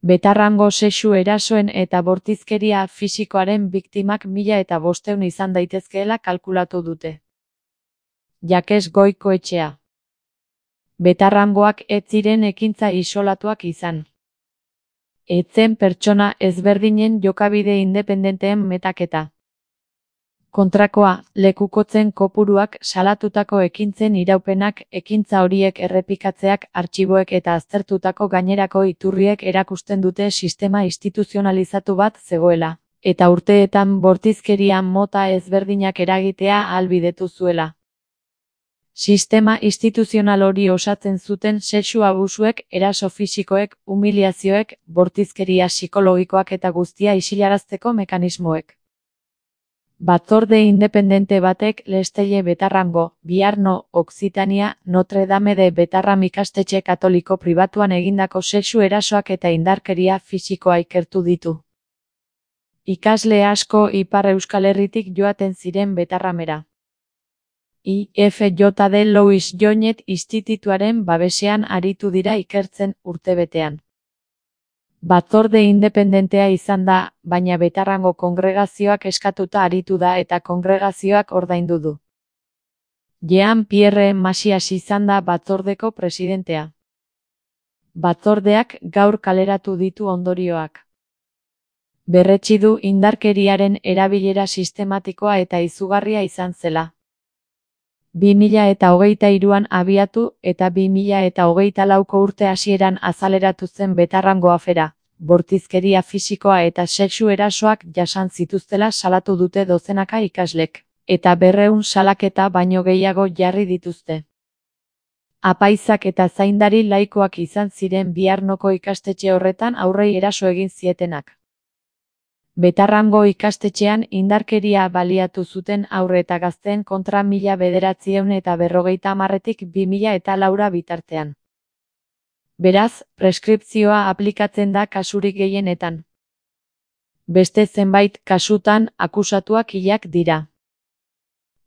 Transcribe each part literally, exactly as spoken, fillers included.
Betarrango sexu erasoen eta bortizkeria fisikoaren biktimak mila eta bosteun izan daitezkeela kalkulatu dute. Jakes Goikoetxea. Betarrangoak ez ziren ekintza isolatuak izan. Ez zen pertsona ezberdinen jokabide independenteen metaketa. Kontrakoa, lekukotzen kopuruak, salatutako ekintzen iraupenak, ekintza horiek errepikatzeak, artxiboek eta aztertutako gainerako iturriek erakusten dute sistema instituzionalizatu bat zegoela, eta urteetan bortizkeria mota ezberdinak eragitea ahalbidetu zuela. Sistema instituzional hori osatzen zuten sexu abusuek, eraso fisikoek, humiliazioek, bortizkeria psikologikoak eta guztia isilarazteko mekanismoek. Batzorde independente batek Lestelle Betarrango, Biarno, Occitania, Notre Dame de Betarram ikastetxe katoliko pribatuan egindako sexu erasoak eta indarkeria fisikoa ikertu ditu. Ikasle asko Ipar Euskal Herritik joaten ziren Betarramera. I F J D Louis Joinet institutuaren babesean aritu dira ikertzen urtebetean. Batzorde independentea izan da, baina Betarrango kongregazioak eskatuta aritu da eta kongregazioak ordaindu du. Jean-Pierre Macias izan da batzordeko presidentea. Batzordeak gaur kaleratu ditu ondorioak. Berretsi du indarkeriaren erabilera sistematikoa eta izugarria izan zela. bi mila eta hogeita hiruan abiatu eta bi mila eta hogeita lauko urte hasieran azaleratu zen Betarrango afera, bortizkeria fisikoa eta sexu erasoak jasan zituztela salatu dute dozenaka ikaslek, eta berrehun salaketa baino gehiago jarri dituzte. Apaizak eta zaindari laikoak izan ziren Biarnoko ikastetxe horretan aurrei eraso egin zietenak. Betarrango ikastetxean indarkeria baliatu zuten haur eta gazteen kontra mila bederatziehun eta berrogeita hamarretik bi mila eta laura bitartean. Beraz, preskripzioa aplikatzen da kasurik gehienetan. Beste zenbait kasutan akusatuak hilak dira.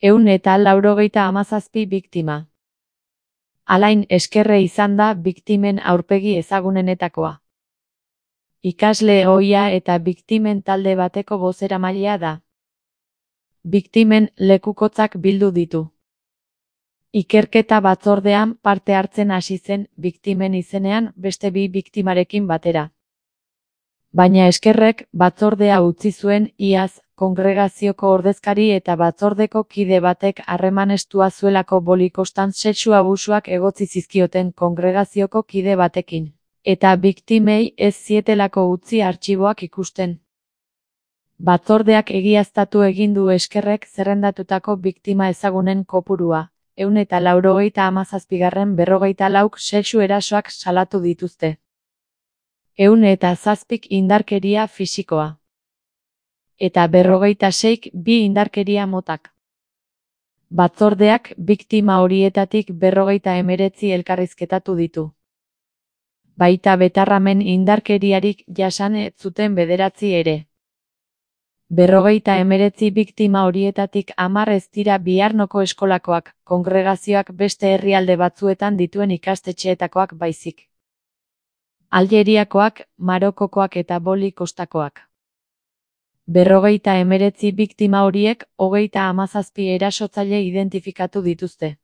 Ehun eta laurogeita hamazazpi biktima. Alain Eskerre izan da biktimen aurpegi ezagunenetakoa. Ikasle ohia eta biktimen talde bateko bozeramailea da. Biktimen lekukotzak bildu ditu. Ikerketa batzordean parte hartzen hasi zen biktimen izenean beste bi biktimarekin batera. Baina Eskerrek batzordea utzi zuen iaz, kongregazioko ordezkari eta batzordeko kide batek harreman estua zuelako bolikostan sexu abusuak egotzi zizkioten kongregazioko kide batekin. Eta biktimei ez zietelako utzi artxiboak ikusten. Batzordeak egiaztatu egin du Eskerrek zerrendatutako biktima ezagunen kopurua, ehun eta laurogeita hamazazpigarren berrogeita lauk sexu erasoak salatu dituzte. Ehun eta zazpik indarkeria fisikoa. Eta berrogeita seik bi indarkeria motak. Batzordeak biktima horietatik berrogeita hemeretzi elkarrizketatu ditu. Baita Betarramen indarkeriarik jasan ez zuten bederatzi ere. Berrogeita hemeretzi biktima horietatik hamar ez dira Biarnoko eskolakoak, kongregazioak beste herrialde batzuetan dituen ikastetxeetakoak baizik. Aljeriakoak, Marokokoak eta Boli kostakoak. Berrogeita hemeretzi biktima horiek hogeita hamazazpi erasotzaile identifikatu dituzte.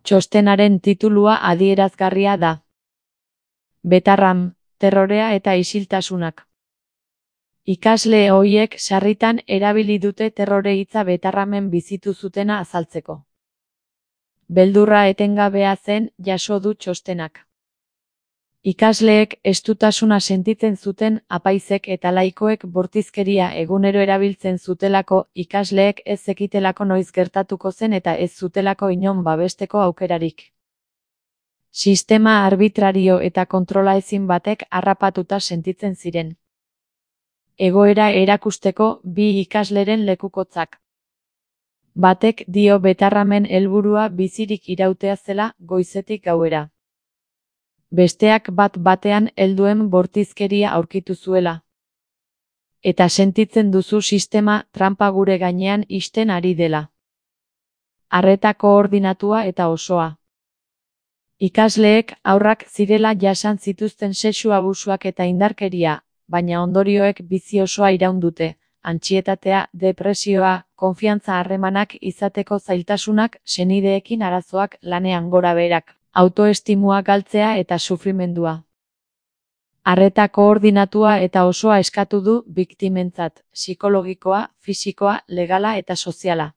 Txostenaren titulua adierazgarria da. Betarram, terrorea eta isiltasunak. Ikasle horiek sarritan erabili dute terrore hitza Betarramen bizitu zutena azaltzeko. Beldurra etengabea zen jaso du txostenak. Ikasleek estutasuna sentitzen zuten apaizek eta laikoek bortizkeria egunero erabiltzen zutelako ikasleek ez zekitelako noiz gertatuko zen eta ez zutelako inon babesteko aukerarik. Sistema arbitrario eta kontrolaezin batek harrapatuta sentitzen ziren. Egoera erakusteko bi ikasleren lekukotzak. Batek dio Betarramen helburua bizirik irautea zela goizetik gauera. Besteak bat batean helduen bortizkeria aurkitu zuela. Eta sentitzen duzu sistema tranpa gure gainean ixten ari dela. Arreta koordinatua eta osoa. Ikasleek haurrak zirela jasan zituzten sexu abusuak eta indarkeria, baina ondorioek bizi osoa iraun dute. Antsietatea, depresioa, konfiantza harremanak izateko zailtasunak, senideekin arazoak, lanean gorabeherak, autoestimua galtzea eta sufrimendua. Arreta koordinatua eta osoa eskatu du biktimentzat, psikologikoa, fisikoa, legala eta soziala.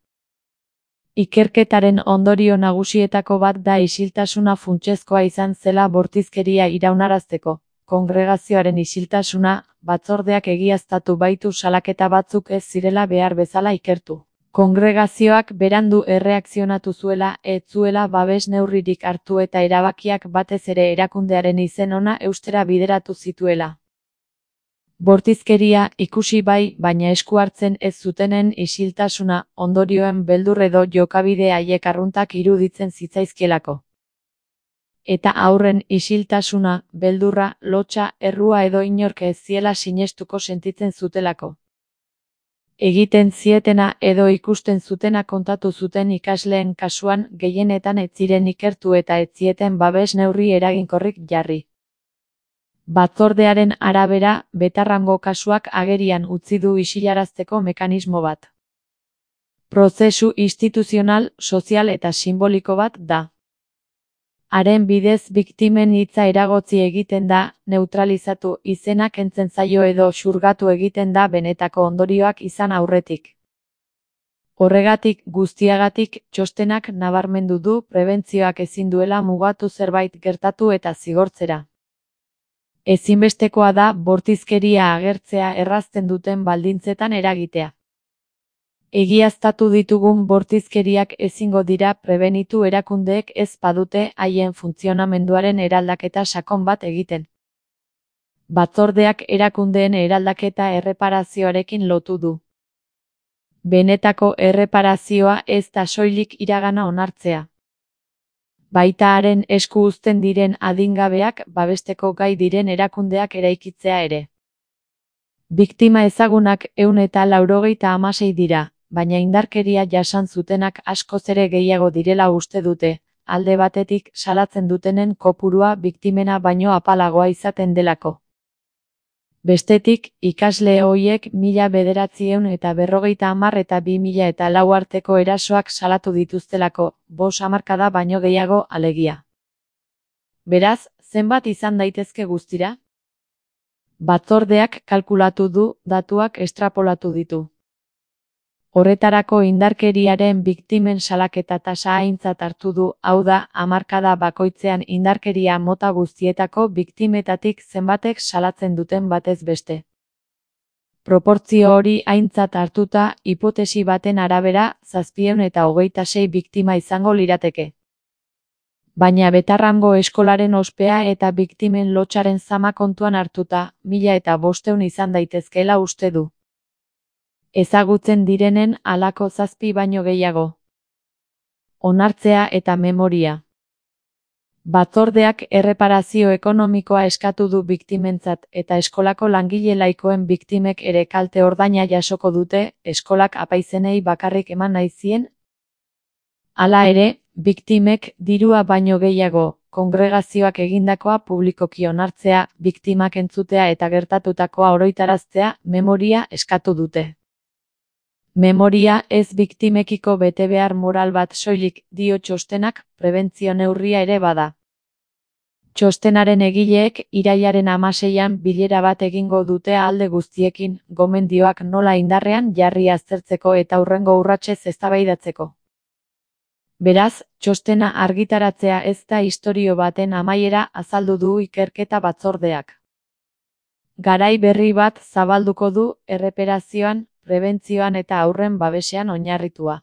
Ikerketaren ondorio nagusietako bat da isiltasuna funtsezkoa izan zela bortizkeria iraunarazteko. Kongregazioaren isiltasuna, batzordeak egiaztatu baitu salaketa batzuk ez zirela behar bezala ikertu. Kongregazioak berandu erreakzionatu zuela, ez zuela babes neurririk hartu eta erabakiak batez ere erakundearen izen ona eustera bideratu zituela. Bortizkeria ikusi bai, baina esku hartzen ez zutenen isiltasuna, ondorioen beldur edo jokabide haiek arruntak iruditzen zitzaizkielako. Eta haurren isiltasuna, beldurra, lotsa, errua edo inork ez ziela sinestuko sentitzen zutelako. Egiten zietena edo ikusten zutena kontatu zuten ikasleen kasuan gehienetan ez ziren ikertu eta ez zieten babes neurri eraginkorrik jarri. Batzordearen arabera, betarrango kasuak agerian utzi du isilarazteko mekanismo bat. Prozesu instituzional, sozial eta sinboliko bat da. Haren bidez biktimen hitza eragotzi egiten da, neutralizatu, izena kentzen zaio edo xurgatu egiten da benetako ondorioak izan aurretik. Horregatik guztiagatik txostenak nabarmendu du prebentzioak ezin duela mugatu zerbait gertatu eta zigortzera. Ezinbestekoa da bortizkeria agertzea errazten duten baldintzetan eragitea. Egiaztatu ditugun bortizkeriak ezingo dira prebenitu erakundeek ez badute haien funtzionamenduaren eraldaketa sakon bat egiten. Batzordeak erakundeen eraldaketa erreparazioarekin lotu du. Benetako erreparazioa ez da soilik iragana onartzea. Baita haren esku uzten diren adingabeak babesteko gai diren erakundeak eraikitzea ere. Biktima ezagunak ehun eta laurogeita hamasei dira, baina indarkeria jasan zutenak askoz ere gehiago direla uste dute, alde batetik salatzen dutenen kopurua biktimena baino apalagoa izaten delako. Bestetik, ikasle horiek mila bederatziehun eta berrogeita hamar eta bi mila eta lau arteko erasoak salatu dituztelako, bost hamarkada baino gehiago alegia. Beraz, zenbat izan daitezke guztira? Batzordeak kalkulatu du, datuak estrapolatu ditu. Horretarako indarkeriaren biktimen salaketa tasa aintzat hartu du, hau da, hamarkada bakoitzean indarkeria mota guztietako biktimetatik zenbatek salatzen duten batez beste. Proportzio hori aintzat hartuta, hipotesi baten arabera, zazpiehun eta hogeita sei biktima izango lirateke. Baina betarrango eskolaren ospea eta biktimen lotsaren zama kontuan hartuta, mila eta bostehun izan daitezkeela uste du. Ezagutzen direnen halako zazpi baino gehiago. Onartzea eta memoria. Batzordeak erreparazio ekonomikoa eskatu du biktimentzat eta eskolako langile laikoen biktimek ere kalte ordaina jasoko dute, eskolak apaizenei bakarrik eman nahi zien. Hala ere, biktimek dirua baino gehiago, kongregazioak egindakoa publikoki onartzea, biktimak entzutea eta gertatutakoa oroitaraztea, memoria eskatu dute. Memoria ez biktimekiko betebehar moral bat soilik, dio txostenak, prebentzio neurria ere bada. Txostenaren egileek irailaren hamaseian bilera bat egingo dute alde guztiekin, gomendioak nola indarrean jarri aztertzeko eta hurrengo urratsez eztabaidatzeko. Beraz, txostena argitaratzea ez da istorio baten amaiera azaldu du ikerketa batzordeak. Garai berri bat zabalduko du erreparazioan, prebentzioan eta haurren babesean oinarritua.